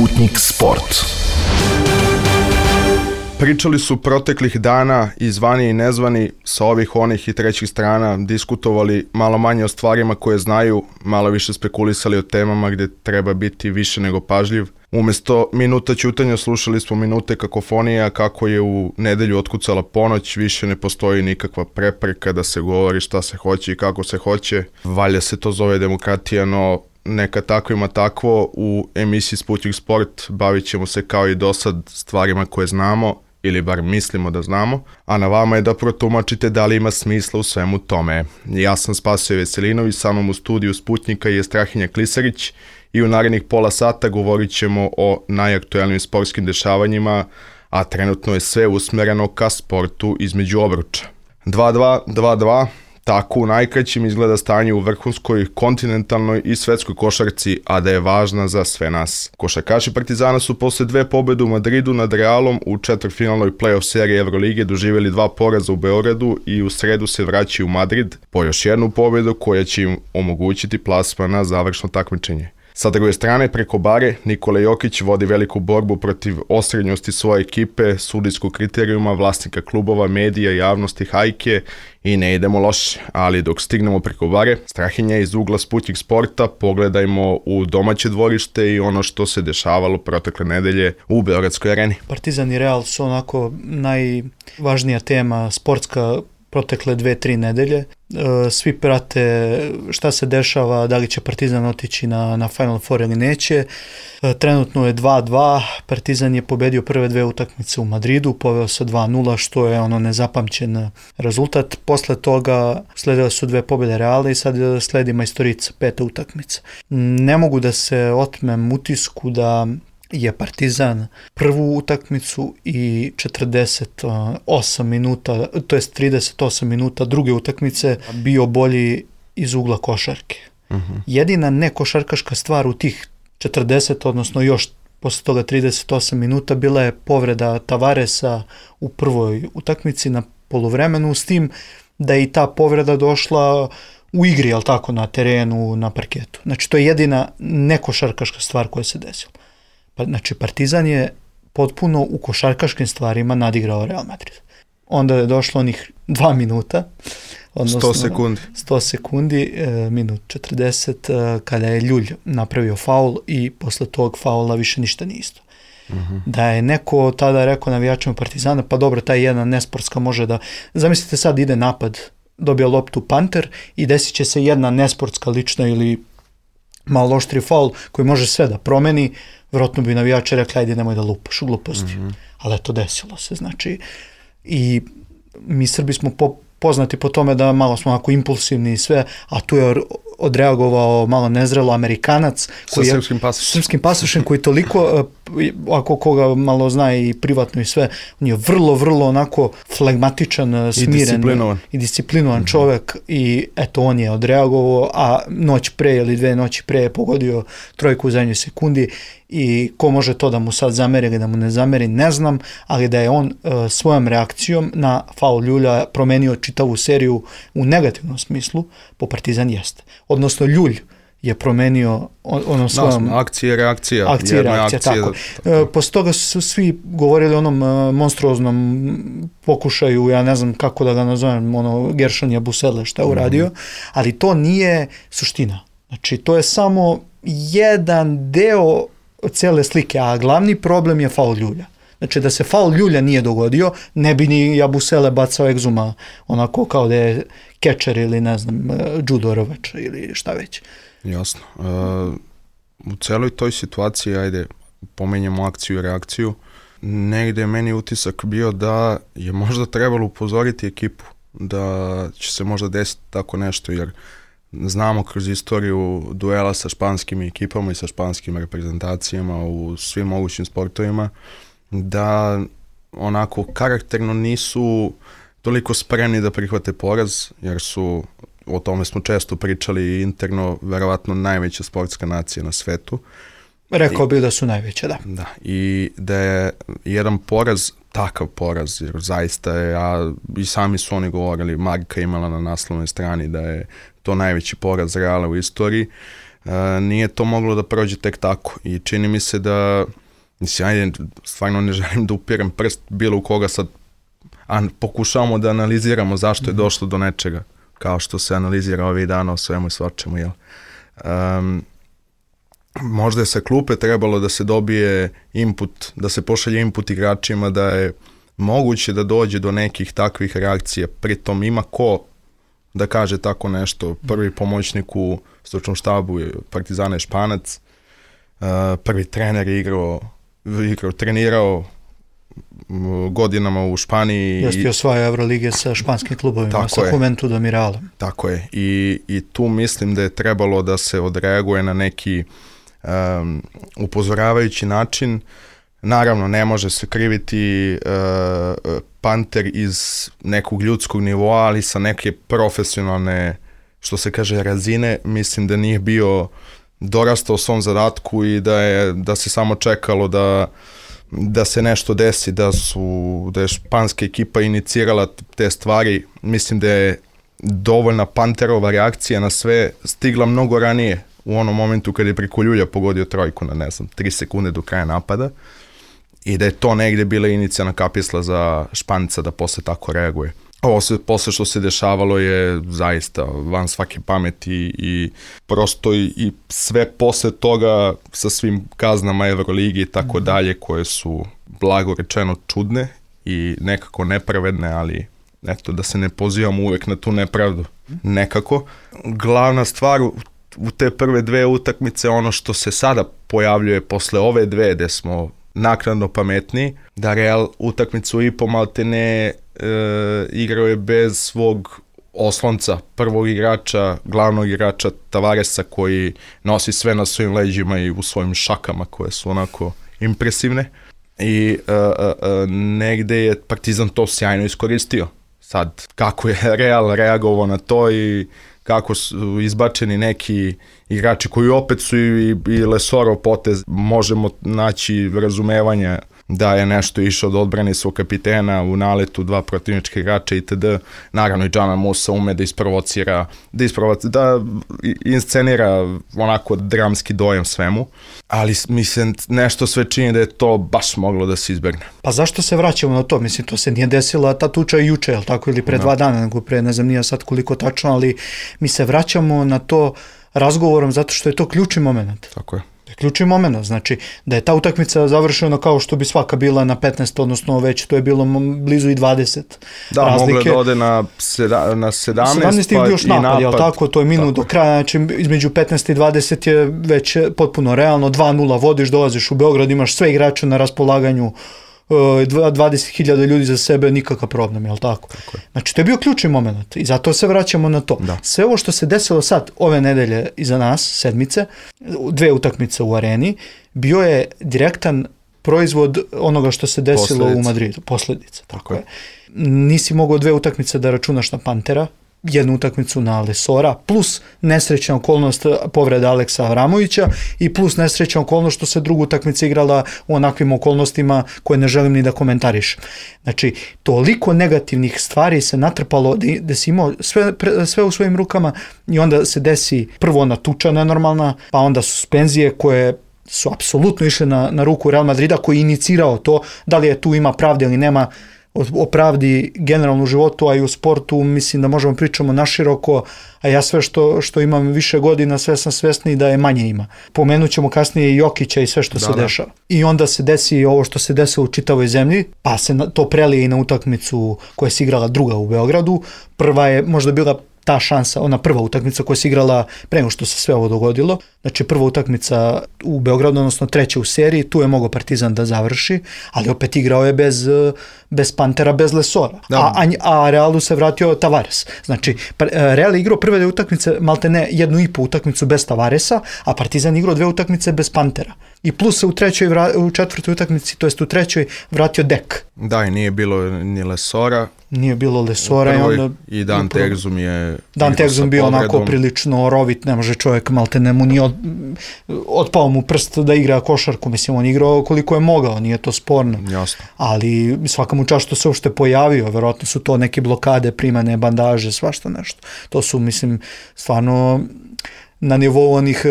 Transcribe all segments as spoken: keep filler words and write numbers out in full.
Sputnik Sport. Pričali su proteklih dana i zvani i nezvani sa ovih, onih i trećih strana, diskutovali malo manje o stvarima koje znaju, malo više spekulisali o temama gdje treba biti više nego pažljiv. Umjesto minuta ćutanja slušali smo minute kakofonija, kako je u nedelju otkucala ponoć, više ne postoji nikakva prepreka da se govori šta se hoće i kako se hoće. Valjda se to zove demokratija, no neka tako ima takvo. U emisiji Sputnik Sport bavit ćemo se kao i dosad stvarima koje znamo, ili bar mislimo da znamo, a na vama je da protumačite da li ima smisla u svemu tome. Ja sam Spasoje Veselinović, sa mnom u studiju Sputnika je Strahinja Klisarić i u narednih pola sata govorit ćemo o najaktuelnijim sportskim dešavanjima, a trenutno je sve usmereno ka sportu između obruča. dva dva, dva dva, tako u najkraćim izgleda stanje u vrhunskoj, kontinentalnoj i svetskoj košarci, a da je važna za sve nas. Košarkaši Partizana su posle dve pobede u Madridu nad Realom u četvrtfinalnoj play-off seriji Evrolige doživjeli dva poraza u Beogradu i u sredu se vraćaju u Madrid po još jednu pobedu koja će im omogućiti plasman na završno takmičenje. Sa druge strane, preko bare, Nikola Jokić vodi veliku borbu protiv osrednjosti svoje ekipe, sudijskog kriterijuma, vlasnika klubova, medija, javnosti, hajke i ne idemo loše. Ali dok stignemo preko bare, Strahinja iz ugla Sputnik Sporta, pogledajmo u domaće dvorište i ono što se dešavalo protekle nedelje u Beogradskoj areni. Partizan i Real su onako najvažnija tema sportska protekle dve, tri nedelje. Svi prate šta se dešava, da li će Partizan otići na, na Final Four ili neće. Trenutno je dva dva, Partizan je pobedio prve dve utakmice u Madridu, poveo sa dva nula, što je ono nezapamćen rezultat. Posle toga sledile su dve pobjede Reala i sad sledi Majstorica, peta utakmica. Ne mogu da se otmem utisku da je Partizan prvu utakmicu i četrdeset osam minuta, to jest trideset osam minuta druge utakmice bio bolji iz ugla košarke. Uh-huh. Jedina nekošarkaška stvar u tih četrdeset, odnosno još posle toga trideset osam minuta, bila je povreda Tavaresa u prvoj utakmici na poluvremenu, s tim da je i ta povreda došla u igri, ali tako, na terenu, na parketu. Znači, to je jedina nekošarkaška stvar koja se desila. Znači, Partizan je potpuno u košarkaškim stvarima nadigrao Real Madrid. Onda je došlo onih dva minuta, odnosno sto sekundi, sto sekundi e, minut četrdeset, e, kada je Ljulj napravio faul i posle tog faula više ništa nije isto. Uh-huh. Da je neko tada rekao navijačima Partizana, pa dobro, taj jedna nesportska može da... Zamislite sad ide napad, dobija loptu Panter i desit će se jedna nesportska lična ili malo oštri faul koji može sve da promeni. Vjerojatno bi navijači rekli, ajde nemoj da lupaš u gluposti. Mm-hmm. Ali eto, desilo se. Znači, i mi Srbi smo po, poznati po tome da malo smo onako impulsivni i sve, a tu je odreagovao malo nezrelo Amerikanac koji sa srpskim pasošem. Srpskim pasošem koji toliko, ako koga malo zna i privatno i sve, on je vrlo, vrlo onako flegmatičan, smiren i disciplinovan, i disciplinovan mm-hmm. čovjek i eto, on je odreagovao, a noć pre ili dve noći pre je pogodio trojku u zadnjoj sekundi. I ko može to da mu sad zameri ili da mu ne zameri, ne znam, ali da je on uh, svojom reakcijom na faul Ljulja promenio čitavu seriju u negativnom smislu, po Partizan jeste. Odnosno, Ljulj je promenio ono svojom... Da, akcija i reakcija. Akcija i reakcija, tako. tako. Uh, posle toga su svi govorili o onom uh, monstruoznom pokušaju, ja ne znam kako da ga nazovem, ono Gershon Busele šta je uradio, mm-hmm. ali to nije suština. Znači, to je samo jedan deo cijele slike, a glavni problem je faul Ljulja. Znači, da se faul Ljulja nije dogodio, ne bi ni Jabusele bacao egzuma onako kao da je kečer ili ne znam, judo rovač ili šta već. Jasno. Uh, u celoj toj situaciji, ajde, pomenjamo akciju i reakciju, negdje je meni utisak bio da je možda trebalo upozoriti ekipu da će se možda desiti tako nešto, jer znamo kroz istoriju duela sa španskim ekipama i sa španskim reprezentacijama u svim mogućim sportovima da onako karakterno nisu toliko spremni da prihvate poraz, jer su, o tome smo često pričali interno, verovatno najveća sportska nacija na svetu. Rekao bih da su najveće, da. Da, i da je jedan poraz, takav poraz, jer zaista je, a i sami su oni govorili, Marka imala na naslovnoj strani da je to najveći poraz Reala u istoriji, nije to moglo da prođe tek tako i čini mi se da, mislim, ajde, stvarno ne želim da upirem prst bilo u koga sad, a pokušavamo da analiziramo zašto je došlo do nečega, kao što se analizira ovih dana o svemu i svačemu, jel? Um, možda je sa klupe trebalo da se dobije input, da se pošalje input igračima da je moguće da dođe do nekih takvih reakcija, pritom ima ko da kaže tako nešto. Prvi pomoćnik u stručnom štabu je Partizana je Španac, uh, prvi trener je igrao, igrao, trenirao godinama u Španiji. Jeste i osvaja Evrolige sa španskim klubovima, sa Juventudom i Realom. Tako je. I, I tu mislim da je trebalo da se odreaguje na neki um, upozoravajući način. Naravno, ne može se kriviti uh, Panter iz nekog ljudskog nivoa, ali sa neke profesionalne, što se kaže, razine, mislim da nije bio dorastao svom zadatku i da je da se samo čekalo da da se nešto desi, da su da je španska ekipa inicirala te stvari. Mislim da je dovoljna Panterova reakcija na sve stigla mnogo ranije, u onom momentu kad je preko ljulja pogodio trojku na, ne znam, tri sekunde do kraja napada, i da je to negde bila inicijalna kapisla za Španca da posle tako reaguje. Ovo se, posle što se dešavalo je zaista van svake pameti i prosto i, i sve posle toga sa svim kaznama Evroligi i tako dalje, koje su blago rečeno čudne i nekako nepravedne, ali eto, da se ne pozivamo uvek na tu nepravdu. Nekako. Glavna stvar u, u te prve dve utakmice, ono što se sada pojavljuje posle ove dve, gde smo naknadno pametni, da Real utakmicu i po maltene e, igrao je bez svog oslonca, prvog igrača, glavnog igrača Tavaresa, koji nosi sve na svojim leđima i u svojim šakama koje su onako impresivne. I e, e, negde je Partizan to sjajno iskoristio. Sad, kako je Real reagovao na to i kako su izbačeni neki igrači koji opet su i, i Lesorov potez, možemo naći razumevanja da je nešto išao do odbrane svog kapitena u naletu, dva protivnička igrača itd. Naravno i Džana Musa ume da isprovocira, da, isprovocira, da inscenira onako dramski dojam svemu, ali mislim nešto sve čini da je to baš moglo da se izbegne. Pa zašto se vraćamo na to? Mislim, to se nije desila ta tuča juče, jel tako, ili pre no. dva dana, nego pre, ne znam, nije sad koliko tačno, ali mi se vraćamo na to razgovorom zato što je to ključni moment. Tako je. Ključni moment, znači da je ta utakmica završena kao što bi svaka bila na petnaest, odnosno već to je bilo blizu i dvadeset. Da, razlike. Mogla da ode na, seda, na sedamnaest, sedamnaest pa još napad, i napad. Jel tako, to je minut do kraja, znači između petnaest i dvadeset je već potpuno realno, dva nula vodiš, dolaziš u Beograd, imaš sve igrače na raspolaganju, dvadeset hiljada ljudi za sebe, nikakav problem, jel tako? Tako je. Znači, to je bio ključni moment i zato se vraćamo na to. Da. Sve ovo što se desilo sad, ove nedelje iza nas, sedmice, dve utakmice u areni, bio je direktan proizvod onoga što se desilo Posledice. u Madridu. Posljedice. Tako, tako je. Nisi mogao dve utakmice da računaš na Pantera, jednu utakmicu na Lesora, plus nesrećna okolnost povreda Aleksa Avramovića i plus nesrećna okolnost što se druga utakmica igrala u onakvim okolnostima koje ne želim ni da komentariš. Znači, toliko negativnih stvari se natrpalo da, da si imao sve, sve u svojim rukama i onda se desi prvo ona tuča nenormalna, pa onda suspenzije koje su apsolutno išle na, na ruku Real Madrida, koji je inicirao to, da li je tu ima pravde ili nema. O pravdi generalno u životu, a i u sportu mislim da možemo pričamo naširoko, a ja sve što, što imam više godina, sve sam svesni da je manje ima. Pomenut ćemo kasnije i Jokića i sve što da, se dešava. Da. I onda se desi ovo što se desilo u čitavoj zemlji, pa se to prelije i na utakmicu koja se igrala druga u Beogradu. Prva je možda bila ta šansa, ona prva utakmica koja se igrala pre nego što se sve ovo dogodilo. Znači prva utakmica u Beogradu, odnosno treća u seriji, tu je mogao Partizan da završi, ali opet igrao je bez, bez Pantera, bez Lesora. A, a, a Realu se vratio Tavares. Znači Real je igrao prve dve utakmice, malte ne jednu i po utakmicu bez Tavaresa, a Partizan igrao dve utakmice bez Pantera. I plus se u trećoj, u četvrtoj utakmici, to jest u trećoj, vratio Dek. Da, i nije bilo ni Lesora. Nije bilo Lesora. Prvoj, i, onda, i Dan Tegzum je... Dan Tegzum bio povredom. Onako prilično rovit, ne može čovjek, malte ne mu nije od, otpao mu prst da igra košarku, mislim, on igrao koliko je mogao, nije to sporno. Jasno. Ali svaka mu čast što se uopšte pojavio, verovatno su to neke blokade, primane bandaže, svašta nešto. To su, mislim, stvarno na nivou onih e,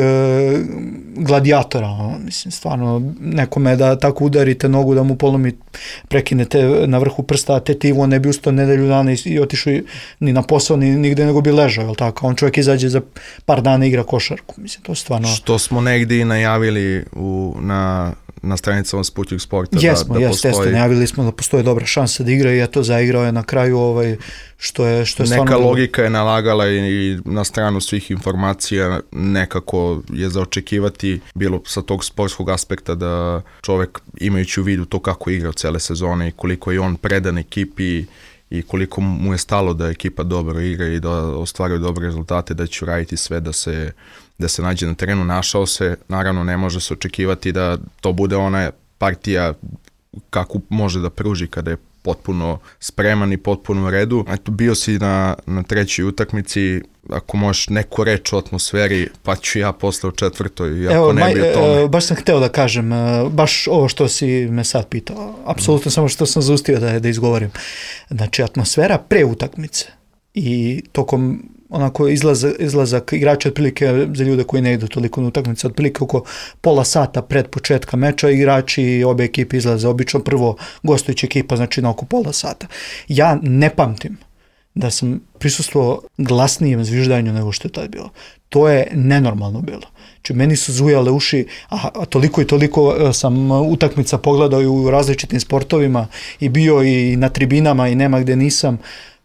gladijatora, ono, mislim, stvarno, nekome da tako udarite nogu da mu polomi, prekinete na vrhu prsta, tetivo, ne bi ustao nedelju dana i, i otišao ni na posao, ni nigde, nego bi ležao, jel tako? On čovjek izađe za par dana igra košarku, mislim, to je stvarno... Što smo negdje i najavili u, na, na stranicama Sputnik Sporta. Jesmo, da, da jes, postoji... najavili smo da postoje dobra šansa da igra i eto, zaigrao je na kraju ovaj, što je, što je stvarno... Neka logika je nalagala i, i na stranu svih informacija, nekako je za očekivati bilo sa tog sportskog aspekta da čovjek imajući u vidu to kako igra cele sezone i koliko je on predan ekipi i koliko mu je stalo da ekipa dobro igra i da ostvaruje dobre rezultate, da će raditi sve da se, da se nađe na terenu. Našao se, naravno ne može se očekivati da to bude ona partija kako može da pruži kada je potpuno spreman i potpuno u redu. Eto, bio si na, na trećoj utakmici, ako možeš neku reč o atmosferi, pa ću ja posle u četvrtoj, iako Evo, ne maj, bi o tome. e, baš sam hteo da kažem, e, baš ovo što si me sad pitao, apsolutno mm. samo što sam zaustio da, da izgovorim. Znači, atmosfera pre utakmice i tokom onako izlazak, izlazak igrača otprilike za ljude koji ne idu toliko na utakmice, otprilike oko pola sata pred početka meča igrači i obe ekipe izlaze, obično prvo gostujuća ekipa, znači na oko pola sata. Ja ne pamtim da sam prisustvovao glasnijem zviždanju nego što je tad bilo. To je nenormalno bilo. Znači, meni su zujale uši, a, a toliko i toliko sam utakmica pogledao i u različitim sportovima i bio i na tribinama i nema gde nisam,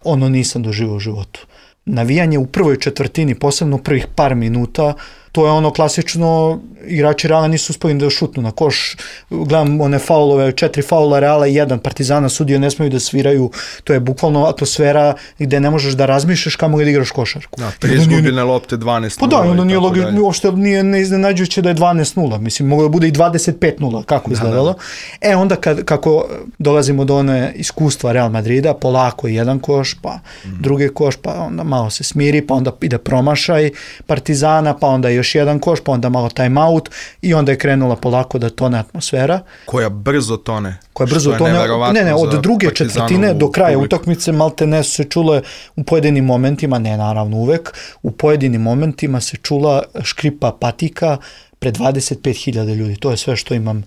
ono nisam doživao u životu. Navijanje u prvoj četvrtini, posebno prvih par minuta, to je ono klasično, igrači Reala nisu uspeli da šutnu na koš, gledam one faulove, četiri faula Reala i jedan Partizana, sudije ne smiju da sviraju, to je bukvalno atmosfera gde ne možeš da razmišljaš kamo da igraš košarku. Da, tri izgubljene lopte, dvanaest nula. Pa da, onda nije logično, uopšte nije neiznenađujuće da je dvanaest nula, mislim, moglo da bude i dvadeset pet nula, kako izgledalo. Da, da. E, onda kad, kako dolazimo do one iskustva Real Madrida, polako jedan koš, pa mm. drugi koš, pa onda malo se smiri, pa onda ide promašaj Partizana, pa onda još jedan koš, pa onda malo time out i onda je krenula polako da tone atmosfera. Koja brzo tone. Koja brzo tone. Ne, ne, od druge četvrtine do kraja publik. Utakmice malte ne su se čule u pojedinim momentima, ne naravno uvek, u pojedinim momentima se čula škripa patika pred dvadeset pet hiljada ljudi. To je sve što imam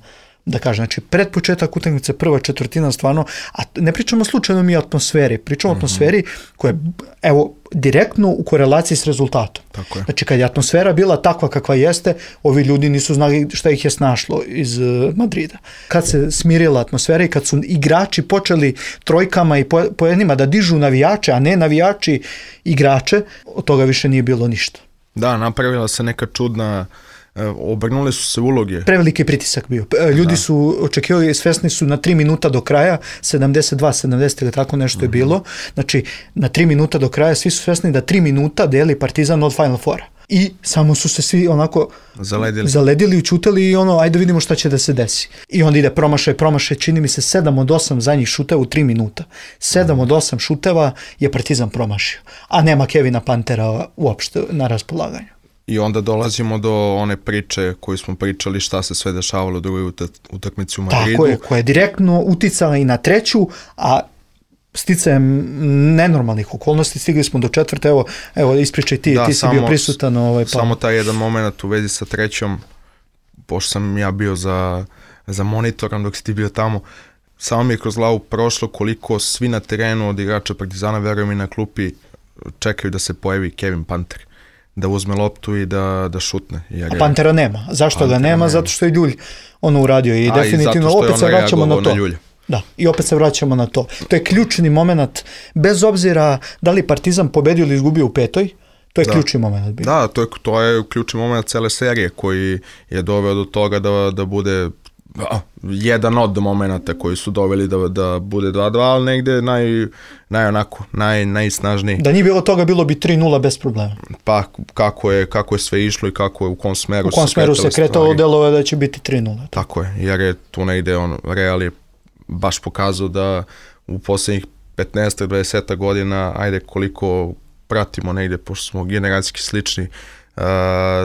da kažem. Znači, pred početak utakmice, prva četvrtina stvarno, a ne pričamo slučajno mi o atmosferi, pričamo mm-hmm. o atmosferi koja je, evo, direktno u korelaciji s rezultatom. Tako je. Znači, kad je atmosfera bila takva kakva jeste, ovi ljudi nisu znali šta ih je snašlo iz uh, Madrida. Kad se smirila atmosfera i kad su igrači počeli trojkama i po, pojednima da dižu navijače, a ne navijači igrače, od toga više nije bilo ništa. Da, napravila se neka čudna, obrnule su se uloge. Preveliki pritisak bio. Ljudi da. su očekivali, svesni su na tri minuta do kraja, sedamdeset dva sedamdeset ili tako nešto mm-hmm. je bilo. Znači, na tri minuta do kraja svi su svesni da tri minuta deli Partizan od Final Fora. I samo su se svi onako zaledili, zaledili učutali i ono, ajde vidimo šta će da se desi. I onda ide promašaj, promašaj, čini mi se sedam od osam zadnjih šuteva u tri minuta. sedam od osam šuteva je Partizan promašio. A nema Kevina Pantera uopšte na raspolaganju. I onda dolazimo do one priče koju smo pričali šta se sve dešavalo u drugoj utakmici u Madridu. Tako je, koja je direktno uticala i na treću, a sticajem nenormalnih okolnosti stigli smo do četvrte. Evo, evo ispričaj ti, da, ti si samo, bio prisutan. Ovaj, pa. Samo taj jedan moment u vezi sa trećom, pošto sam ja bio za, za monitorom dok si ti bio tamo, samo mi je kroz glavu prošlo koliko svi na terenu od igrača Partizana, verujem i na klupi, čekaju da se pojavi Kevin Panter, da uzme loptu i da, da šutne. Jer a Pantera nema. Zašto Pantera ga nema? nema? Zato što je Ljulj ono uradio i a, definitivno i opet se vraćamo na to. Na da, i opet se vraćamo na to. To je ključni moment, bez obzira da li Partizan pobedio ili izgubio u petoj, to je da. ključni moment. Bio. Da, to je, to je ključni moment cele serije koji je doveo do toga da, da bude a, jedan od momenata koji su doveli da, da bude dva dva, ali negde naj, naj onako, naj, najsnažniji. Da nije bilo toga, bilo bi tri nula bez problema. Pa kako je, kako je sve išlo i kako je, u kom smeru, u kom smeru se kretalo, delove da će biti tri nula. Tako je, jer je tu negde on, Real je baš pokazao da u posljednjih petnaest do dvadeset godina, ajde koliko pratimo negde, pošto smo generacijski slični, uh,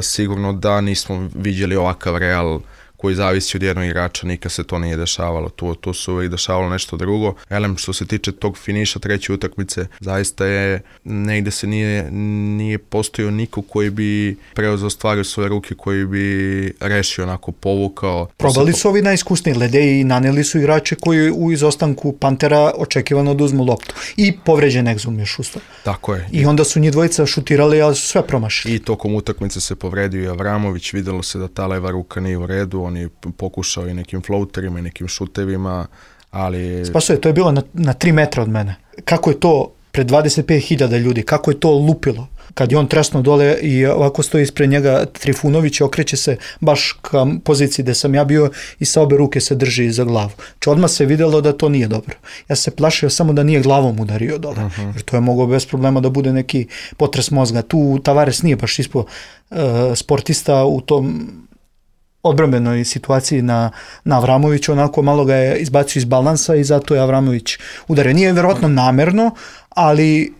sigurno da nismo vidjeli ovakav Real koji zavisi od jednog igrača, nikad se to nije dešavalo. Tu, tu se uvijek dešavalo nešto drugo. Elem, što se tiče tog finiša treće utakmice, zaista je, negde se nije, nije postojao niko koji bi preuzeo stvari u svoje ruke, koji bi rešio, onako povukao. Probali su ovi najiskusniji Lede i naneli su igrače koji u izostanku Pantera očekivano da uzmu loptu. I povređen Exum još usto. Tako je. I onda su njih dvojica šutirali, ali su sve promašili. I tokom utakmice se povredio i Avramović, videlo se da ta leva ruka nije u redu, on je pokušao i nekim floaterima i nekim šutevima, ali... Spasuje, to je bilo na, na tri metra od mene. Kako je to pred dvadeset pet hiljada ljudi, kako je to lupilo? Kad je on tresno dole i ovako stoji ispred njega Trifunović i okreće se baš ka poziciji gde sam ja bio i sa obe ruke se drži za glavu. Če odmah se videlo da to nije dobro. Ja se plašio samo da nije glavom udario dole, uh-huh. jer to je moglo bez problema da bude neki potres mozga. Tu Tavares nije baš ispo uh, sportista u tom odbrambenoj situaciji na, na Avramoviću, onako malo ga je izbacio iz balansa i zato je Avramović udario. Nije verovatno namerno, ali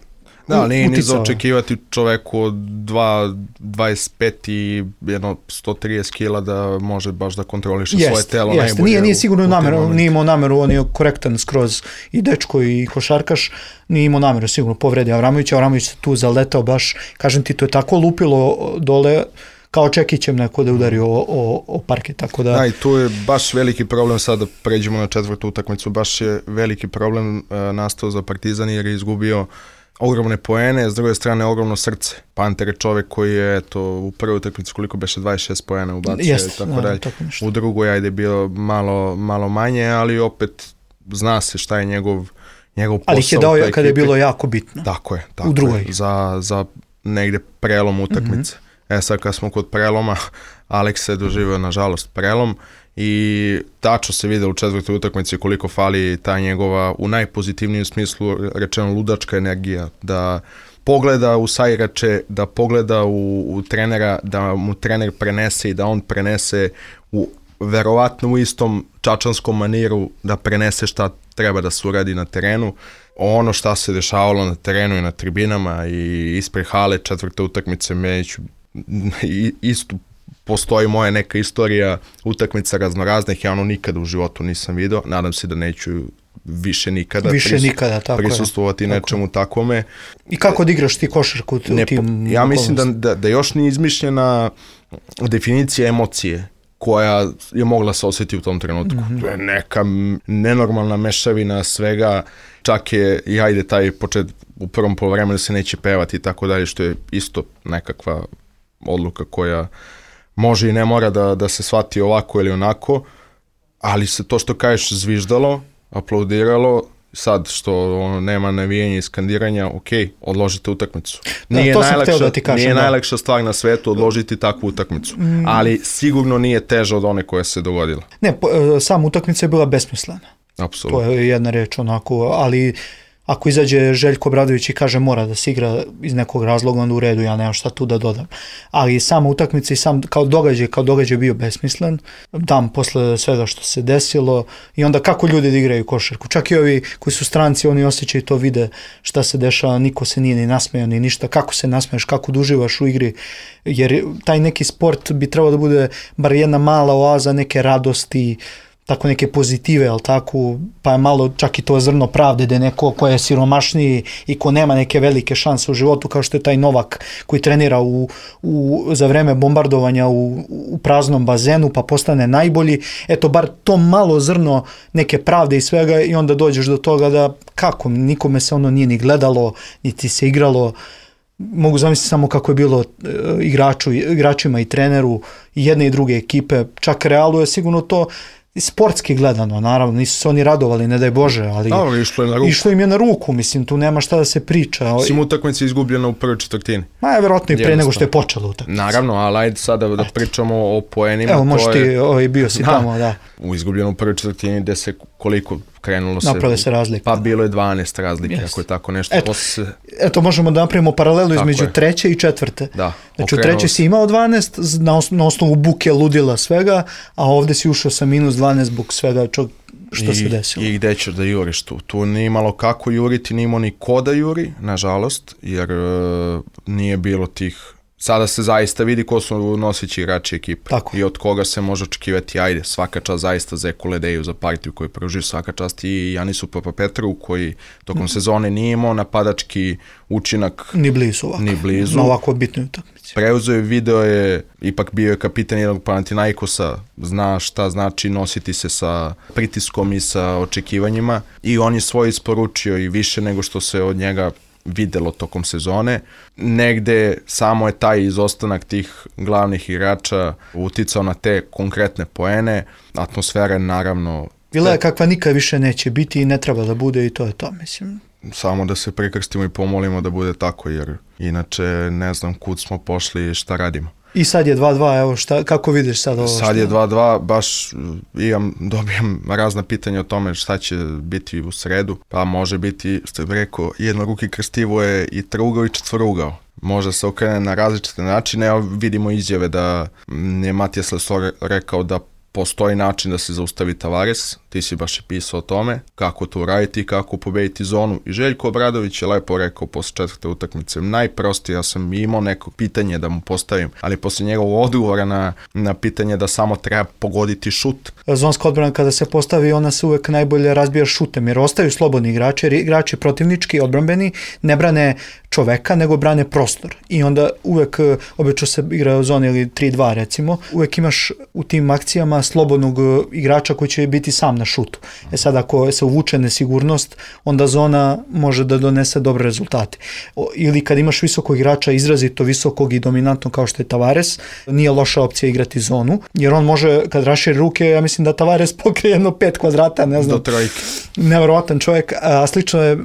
da, nije ni za očekivati čoveku od dva dvadeset pet i jedno sto trideset kila da može baš da kontroliše jest, svoje telo jest. najbolje. Nije, nije sigurno nameru, nije imao nameru, on je korektan skroz i dečko i košarkaš, nije imao nameru, sigurno povredi Avramovića, Avramović se tu zaletao baš, kažem ti, to je tako lupilo dole, kao Čekićem neko da udari o, o, o parke, tako da... Da, i tu je baš veliki problem, sad da pređemo na četvrtu utakmicu, baš je veliki problem uh, nastao za Partizan jer je izgubio ogromne poene, s druge strane ogromno srce. Panter je čovjek koji je eto, u prvoj utakmici koliko beše dvadeset šest poena ubacio i tako da, dalje. U drugoj ajde bio malo, malo manje, ali opet zna se šta je njegov, njegov posao. Ali ih je dao kada je bilo jako bitno. Tako je, tako u drugoj. Je, za, za negde prelom utakmice. Mm-hmm. E sad kad smo kod preloma, Aleks je doživio nažalost prelom i tačno se vide u četvrtoj utakmici koliko fali ta njegova, u najpozitivnijem smislu rečeno, ludačka energija, da pogleda u saigrače, da pogleda u, u trenera, da mu trener prenese i da on prenese u verovatno u istom čačanskom maniru, da prenese šta treba da se uradi na terenu. Ono šta se dešavalo na terenu i na tribinama i ispred hale četvrte utakmice, Mejiću istu postoji moja neka istorija utakmica raznoraznih, ja ono nikada u životu nisam video, nadam se da neću više nikada, više pris, nikada tako prisustvovati je. nečemu tako. takvome. I kako da igraš ti košarku u ne, tim Ja mislim da, da, da još nije izmišljena definicija emocije koja je mogla se osjetiti u tom trenutku. Mm-hmm. To je neka nenormalna mešavina svega, čak je i ajde taj počet u prvom poluvremenu se neće pevati i tako dalje, što je isto nekakva odluka koja može i ne mora da, da se shvati ovako ili onako, ali se to što kažeš zviždalo, aplaudiralo, sad što ono, nema navijanja i skandiranja, ok, odložite utakmicu. Nije, da, najlakša, da ti kažem, nije da. najlakša stvar na svetu odložiti takvu utakmicu, mm. ali sigurno nije teža od one koja se dogodila. Ne, po, sam utakmica je bila besmislena. Apsolutno. To je jedna reč onako, ali ako izađe Željko Obradović i kaže mora da se igra iz nekog razloga, onda u redu, ja nemam šta tu da dodam. Ali sama utakmica i sam kao događaj, kao događaj bio besmislen, dan posle svega što se desilo i onda kako ljudi da igraju košarku. Čak i ovi koji su stranci, oni osjećaju to, vide šta se dešava, niko se nije ni nasmejao ni ništa, kako se nasmeješ, kako uživaš u igri, jer taj neki sport bi trebao da bude bar jedna mala oaza neke radosti, tako neke pozitive, ali tako, pa je malo čak i to zrno pravde da je neko ko je siromašniji i ko nema neke velike šanse u životu, kao što je taj Novak koji trenira u, u, za vreme bombardovanja u, u praznom bazenu pa postane najbolji, eto bar to malo zrno neke pravde i svega i onda dođeš do toga da kako, nikome se ono nije ni gledalo, niti se igralo. Mogu zamisliti samo kako je bilo igraču, igračima i treneru i jedne i druge ekipe, čak Realu je sigurno to sportski gledano, naravno, nisu se oni radovali, ne daj Bože, ali da, išlo, je na ruku. išlo im je na ruku, mislim, tu nema šta da se priča. Sim utakmica izgubljena u prvoj četvrtini. Ma je verovatno i pre nego što je počela utakmica. Naravno, ali ajde sada da pričamo o poenima. Evo, možeš ti, ovaj, bio si da, tamo, da. U izgubljenom prvoj četvrtini gde se koliko krenulo se. Naprave se razlike. Pa bilo je dvanaest razlike, yes. ako je tako nešto. Eto, se... eto možemo da napravimo paralelu između je. treće i četvrte. Da. Znači u treće si imao dvanaest na, os- na osnovu buke ludila svega, a ovde si ušao sa minus dvanaest zbog svega čo, što I, se desilo. I gde ćeš da juriš tu? Tu nije imalo kako juriti, nije imao ni ko da juri, nažalost, jer uh, nije bilo tih sada se zaista vidi ko su noseći igrači ekipe. Tako. I od koga se može očekivati, ajde, svaka čast zaista Zeku Ledeju za partiju koju pružio, svaka čast i Janisu Papapetru koji tokom mm. sezone nije imao napadački učinak. Ni blizu ovako. Ni blizu. Na ovako bitnoj utakmici. Preuzeo je, video je, ipak bio je kapitan jednog Panathinaikosa, zna šta znači nositi se sa pritiskom i sa očekivanjima i on je svoj isporučio i više nego što se od njega videlo tokom sezone. Negde samo je taj izostanak tih glavnih igrača uticao na te konkretne poene. Atmosfera naravno... Bila je kakva nikad više neće biti i ne treba da bude i to je to, mislim. Samo da se prikrstimo i pomolimo da bude tako, jer inače ne znam kud smo pošli i šta radimo. I sad je dva dva, evo šta, kako vidiš sad ovo? Sad je dva dva, baš imam, dobijam razna pitanja o tome šta će biti u sredu, pa može biti, što bih rekao, jednoruki krstivo je i trougao i četvorugao. Može se okrene na različite načine, evo vidimo izjave da je Matijas Lesor rekao da postoji način da se zaustavi Tavares, ti si baš i pisao o tome, kako to uraditi, kako pobediti zonu. I Željko Obradović je lepo rekao posle četvrte utakmice, najprostije, ja sam imao neko pitanje da mu postavim, ali posle njegovog odgovora na, na pitanje da samo treba pogoditi šut. Zonska odbrana kada se postavi, ona se uvek najbolje razbija šutem, jer ostaju slobodni igrači, jer igrači protivnički, odbrambeni, ne brane čoveka, nego brane prostor. I onda uvek, obično se igra u zoni ili tri dva recimo, uvek imaš u tim akcijama slobodnog igrača koji će biti sam na šutu. E sad ako se uvuče nesigurnost, onda zona može da donese dobre rezultate. O, ili kad imaš visokog igrača, izrazito visokog i dominantnog kao što je Tavares, nije loša opcija igrati zonu, jer on može, kad raširi ruke, ja mislim da Tavares pokrije jedno pet kvadrata, ne znam. Do trojke. Nevjerovatan čovjek, a slično je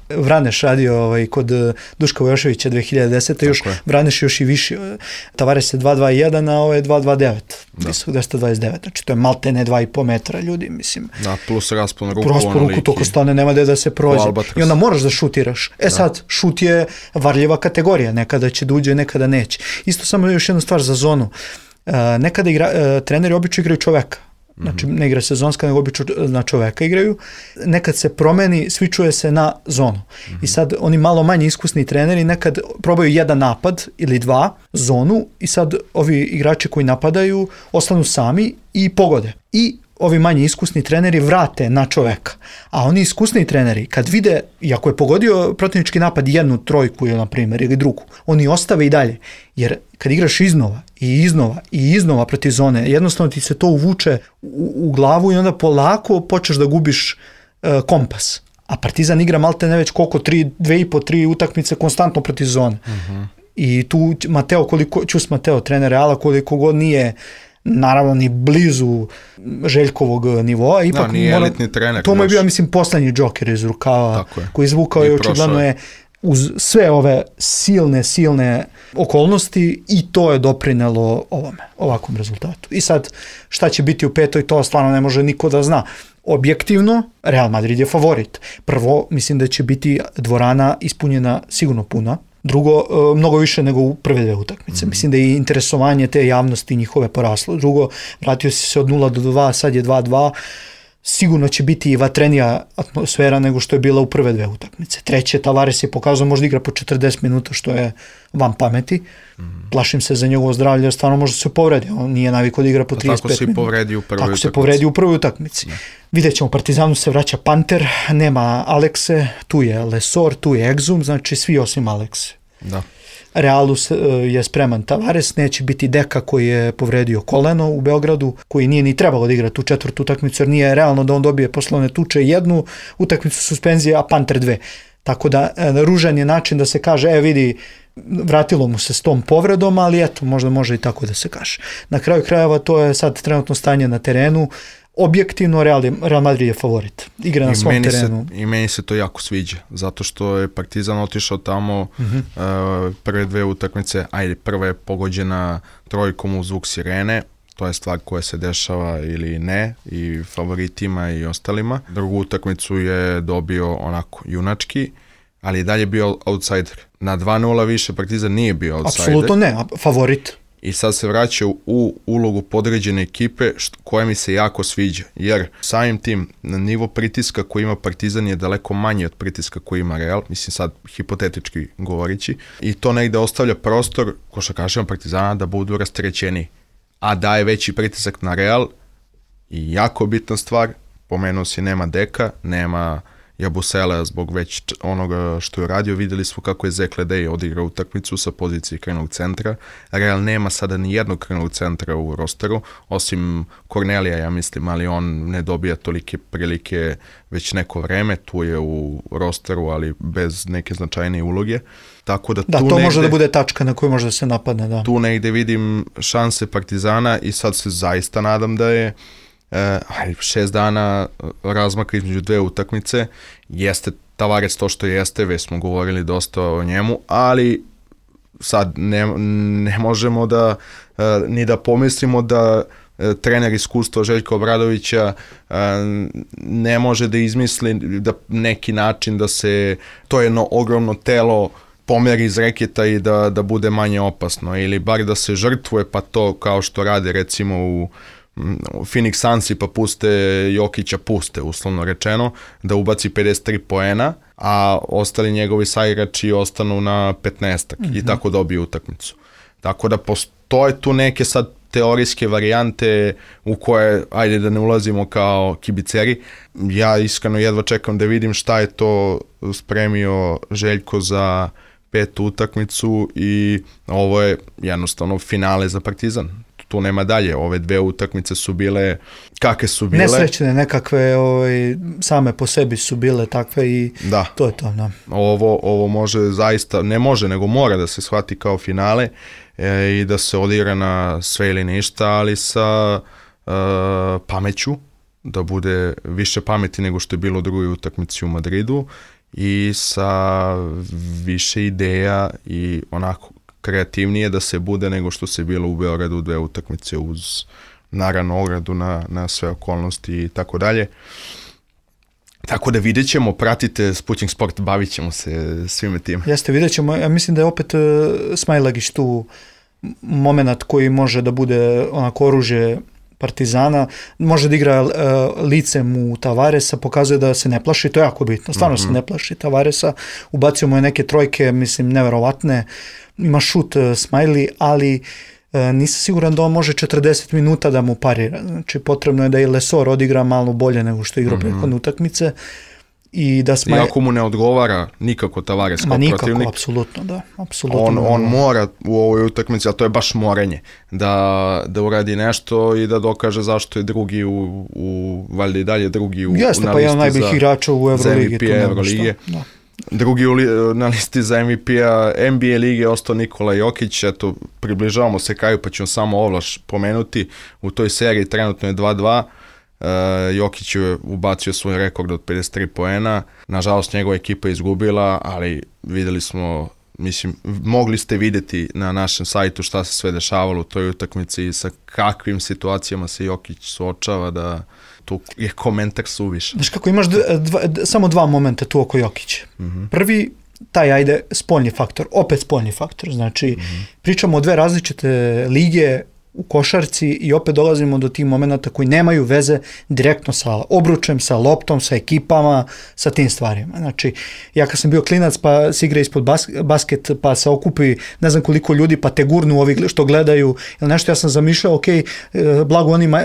Vraneš radio ovaj, kod Duška Vojoševića dve hiljade desete. Još je. Vraneš još i više. Tavares je dva dva jedan, a ovo je dva dva devet. Visok dvesta dvadeset devet. Znači to je maltene dva i po metra ljudi, mislim. Da, plus raspon ruku. Raspon ruku, toko stane, nema da se prođe. I onda moraš da šutiraš. E da. Sad, šut je varljiva kategorija. Nekada će da uđe, nekada neće. Isto samo još jednu stvar za zonu. Uh, nekada igra, uh, treneri obično igraju čoveka. Znači ne igra sezonska, nego obično na čoveka igraju. Nekad se promeni, svičuje se na zonu. Mm-hmm. I sad oni malo manje iskusni treneri nekad probaju jedan napad ili dva zonu i sad ovi igrači koji napadaju ostanu sami i pogode. I ovi manje iskusni treneri vrate na čoveka. A oni iskusni treneri, kad vide, i ako je pogodio protivnički napad jednu trojku ili na primjer, ili drugu, oni ostave i dalje. Jer kad igraš iznova i iznova i iznova protiv zone, jednostavno ti se to uvuče u, u glavu i onda polako počneš da gubiš e, kompas. A Partizan igra maltene već koliko, tri, dve i po, tri utakmice konstantno protiv zone. Uh-huh. I tu Mateo, koliko, Ćus Mateo, trener Reala, koliko god nije naravno ni blizu Željkovog nivoa. Ipak no, nije elitni trener. To mu je bio, mislim, poslednji džoker iz rukava koji izvukao i očigledno je uz sve ove silne, silne okolnosti i to je doprinelo ovome, ovakvom rezultatu. I sad, šta će biti u petoj, to stvarno ne može niko da zna. Objektivno, Real Madrid je favorit. Prvo, mislim da će biti dvorana ispunjena sigurno puna. Drugo, mnogo više nego u prve dve utakmice. Mm. Mislim da je interesovanje te javnosti njihove poraslo. Drugo, vratio si se od nula do dva, sad je dva dva. Sigurno će biti i vatrenija atmosfera nego što je bila u prve dve utakmice. Treće, Tavares je pokazao možda igra po četrdeset minuta, što je van pameti. Mm. Plašim se za njegovo zdravlje, jer stvarno možda se povredi. On nije navikao da igra po trideset pet minuta. Tako se povredi u prvoj Tako utakmici. se povredi u prvoj utakmici. Ne. Vidjet ćemo, Partizanu se vraća Panter, nema Alekse, tu je Lesor, tu je Exum, znači svi osim Alekse. Da. Realu je spreman Tavares, neće biti Deka koji je povredio koleno u Beogradu, koji nije ni trebalo da igra tu četvrtu utakmicu, jer nije realno da on dobije poslovne tuče jednu utakmicu suspenzije, a Panter dve. Tako da ružan je način da se kaže, e vidi, vratilo mu se s tom povredom, ali eto, možda može i tako da se kaže. Na kraju krajeva to je sad trenutno stanje na terenu. Objektivno Real, Real Madrid je favorit. Igra na I svom terenu. Se, I meni se to jako sviđa, zato što je Partizan otišao tamo uh-huh. uh, prve dve utakmice, ajde, prva je pogođena trojkom u zvuk sirene, to je stvar koja se dešava ili ne, i favoritima i ostalima. Drugu utakmicu je dobio onako junački, ali i dalje bio outsider. Na dva nula više Partizan nije bio outsider. Apsolutno ne, favorit. i sad se vraća u ulogu podređene ekipe št, koja mi se jako sviđa, jer samim tim na nivo pritiska koji ima Partizan je daleko manje od pritiska koji ima Real, mislim sad hipotetički govorići, i to negde ostavlja prostor košarkašima Partizana da budu rasterećeni, a daje veći pritisak na Real. I jako bitna stvar, pomenuo si, nema Deka, nema Jabusele zbog već onoga što je radio. Vidjeli smo kako je Zek Ledej odigrao utakmicu sa pozicije krajnog centra. Real nema sada ni jednog krajnog centra u rosteru, osim Kornelija, ja mislim, ali on ne dobija tolike prilike već neko vreme, tu je u rosteru, ali bez neke značajne uloge. Tako da, da tu to negde, može da bude tačka na koju može da se napadne. Da. Tu negde vidim šanse Partizana i sad se zaista nadam da je Uh, šest dana razmaka između dve utakmice, jeste Tavares to što jeste, već smo govorili dosta o njemu, ali sad ne, ne možemo da uh, ni da pomislimo da uh, trener iskustva Željka Obradovića uh, ne može da izmisli da neki način da se to jedno ogromno telo pomeri iz reketa i da, da bude manje opasno, ili bar da se žrtvuje, pa to kao što rade recimo u Phoenix Sunsi pa puste Jokića, puste uslovno rečeno, da ubaci pedeset tri poena, a ostali njegovi saigrači ostanu na petnaestak mm-hmm. i tako dobiju utakmicu. Tako da postoje tu neke sad teorijske varijante u koje, ajde da ne ulazimo kao kibiceri. Ja iskreno jedva čekam da vidim šta je to spremio Željko za petu utakmicu i ovo je jednostavno finale za Partizan. Tu nema dalje, ove dve utakmice su bile kakve su bile. Nesrećne nekakve, ovaj, same po sebi su bile takve i da. To je to. Da. Ovo, ovo može zaista, ne može, nego mora da se shvati kao finale e, i da se odigra na sve ili ništa, ali sa e, pameću, da bude više pameti nego što je bilo u drugoj utakmici u Madridu i sa više ideja i onako kreativnije da se bude nego što se bilo u Beogradu dve utakmice uz naravno ogradu na, na sve okolnosti i tako dalje. Tako da vidjet ćemo, pratite Sputnik Sport, bavit ćemo se svime tim. Jeste, vidjet ćemo. Ja mislim da je opet uh, Smailagić tu moment koji može da bude onako oružje Partizana, može da igra uh, licem u Tavaresa, pokazuje da se ne plaši, to je jako bitno, stvarno mm-hmm. se ne plaši Tavaresa, ubacio mu je neke trojke, mislim, neverovatne, ima šut uh, Smiley, ali uh, nisam siguran da on može četrdeset minuta da mu parira, znači potrebno je da i Lesor odigra malo bolje nego što igra mm-hmm. prethodne utakmice. I da Smaj... Iako mu ne odgovara nikako Tavares kao nikako, protivnik. Nikako, apsolutno, da. Apsolutno on, on mora u ovoj utakmici, ali to je baš morenje, da, da uradi nešto i da dokaže zašto je drugi u, u valjda i dalje drugi u, Jeste, na pa listi jedan najboljih igrača u Euroligi. Za M V P Euroligije. Da. Drugi u, na listi za M V P-a N B A lige ostao Nikola Jokić, eto, približavamo se kraju, pa ćemo samo ovlaš pomenuti, u toj seriji trenutno je dva dva, Uh, Jokić je ubacio svoj rekord od pedeset tri poena, nažalost njegova ekipa je izgubila, ali videli smo, mislim, mogli ste vidjeti na našem sajtu šta se sve dešavalo u toj utakmici i sa kakvim situacijama se Jokić suočava, da tu je komentar suviš. Znaš kako, imaš dva, dva, samo dva momenta tu oko Jokića. Mm-hmm. Prvi, taj, ajde, spoljni faktor, opet spoljni faktor, znači mm-hmm. pričamo o dve različite lige u košarci i opet dolazimo do tih momenta koji nemaju veze direktno sa obručem, sa loptom, sa ekipama, sa tim stvarima. Znači, ja kad sam bio klinac pa se igra ispod bas- basket, pa se okupi ne znam koliko ljudi, pa te gurnu ovi što gledaju, ili nešto, ja sam zamišljao, ok, blago onim e,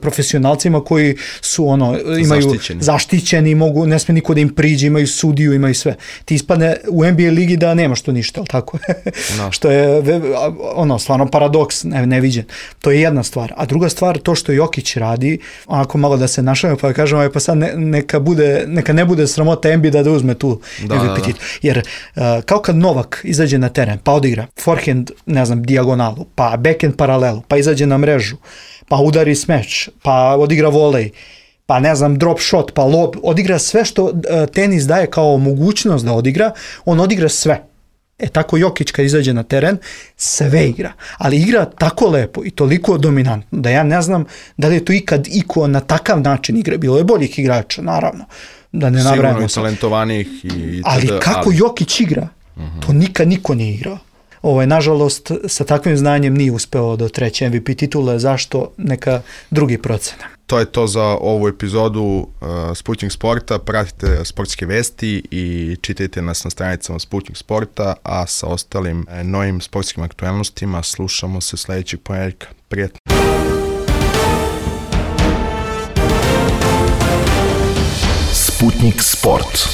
profesionalcima koji su ono, imaju zaštićeni, zaštićeni mogu, ne sme niko da im priđe, imaju sudiju, imaju sve. Ti ispadne u N B A ligi da nemaš to ništa, ali tako? No. Što je ono, stvarno paradoks, ne, neviđen. To je jedna stvar. A druga stvar, to što Jokić radi, onako malo da se našavimo, pa da kažemo, pa sad ne, neka, bude, neka ne bude sramota N B A da uzme tu da, M V P titul. Jer uh, kao kad Novak izađe na teren, pa odigra forehand, ne znam, dijagonalu, pa backhand paralelu, pa izađe na mrežu, pa udari smash, pa odigra volej, pa ne znam, drop shot, pa lob, odigra sve što uh, tenis daje kao mogućnost da odigra, on odigra sve. E tako Jokić kad izađe na teren, sve igra, ali igra tako lepo i toliko dominantno da ja ne znam da li je to ikad iko na takav način igra. Bilo je boljih igrača, naravno, da ne nabrajamo. Sigurno i talentovanih. I ali kako ali... Jokić igra, uh-huh. to nikad niko nije igrao. Ovaj, nažalost, sa takvim znanjem nije uspeo do treće M V P titule. Zašto? Neka drugi procena. To je to za ovu epizodu uh, Sputnik Sporta. Pratite sportske vesti i čitajte nas na stranicama Sputnik Sporta, a sa ostalim uh, novim sportskim aktualnostima slušamo se sljedećeg ponedjeljka. Prijetno! Sputnik Sport.